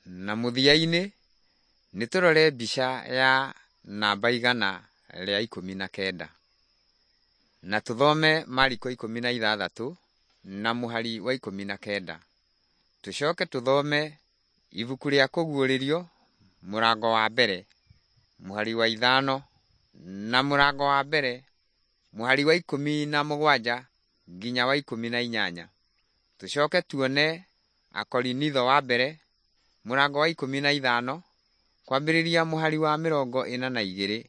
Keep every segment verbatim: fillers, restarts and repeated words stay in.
Na mũthia-inĩ nĩ tũrore mbica ya namba igana rĩa ikũmi na kenda na tũthome Mariko ikũmi na ithathatũ na mũhari wa ikũmi na kenda. Tũcoke tũthome ibuku rĩa Kũguũrĩrio mũrango wa mbere mũhari wa ithano na mũrango wa mbere mũhari wa ikũmi na mũgwanja nginya wa ikũmi na inyanya. Tũcoke tuone Akorinitho wa mbere mũrango wa ikũmi na ithano kwambĩrĩria mũhari wa mĩrongo ĩna na igĩrĩ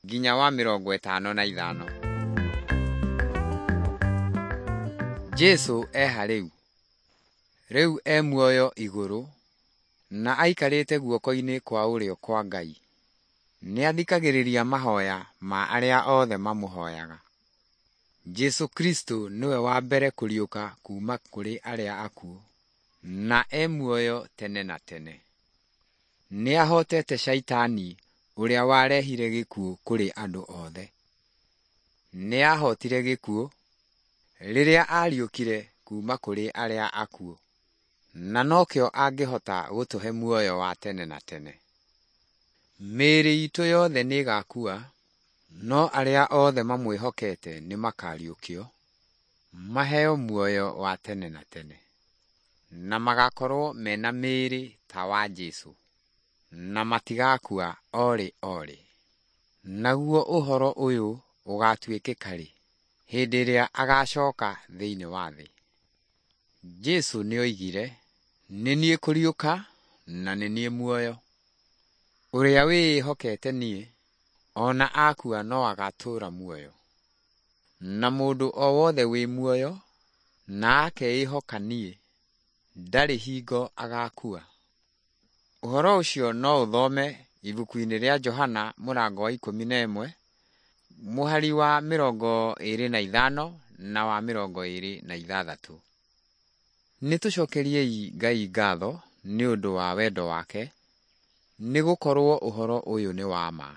nginya wa mĩrongo ĩtano na ithano. Jesũ eha rĩu? Rĩu e muoyo igũrũ na aikarĩte guoko-inĩ kwa ũrĩo kwa Ngai. Nĩathikagĩrĩria mahoya ma arĩa othe mamũhoyaga. Jesũ Kristo nĩwe wa mbere kũriũka kuuma kũrĩ arĩa akuũ na e muoyo tene na tene. Nĩahotete Shaitani ũrĩa warehire gĩkuũ kũrĩ andũ othe. Nĩahotire gĩkuũ rĩrĩa ariũkire kuuma kũrĩ arĩa akuũ na nokĩo angĩhota gũtũhe muoyo wa tene na tene. Mĩĩrĩ itũ yothe nĩĩgakua, no arĩa othe mamwĩhokete nĩmakariũkio maheo muoyo wa tene na tene, na magakorwo mena mĩĩrĩ ta wa Jesũ na matigakua orĩ orĩ. Naguo ũhoro ũyũ ũgatuĩkĩka rĩ? Hĩndĩ ĩrĩa agacoka thĩinĩ wa thĩ. Jesũ nĩoigire, nĩ niĩ kũriũka na nĩ niĩ muoyo. Ũrĩa wĩĩhokete niĩ, ona akua no agatũũra muoyo. Na mũndũ o wothe wĩ muoyo na akeĩhoka niĩ, ndarĩ hingo agakua. Ũhoro ũcio no ũthome ibuku-inĩ rĩa Johana mũrango wa ikũmi na ĩmwe mũhari wa mĩrongo ĩrĩ na ithano na wa mĩrongo ĩrĩ na ithathatũ. Nĩ tũcokeriei Ngai ngatho nĩ ũndũ wa wendo wake, nĩ gũkorwo ũhoro ũyũ nĩ wa ma.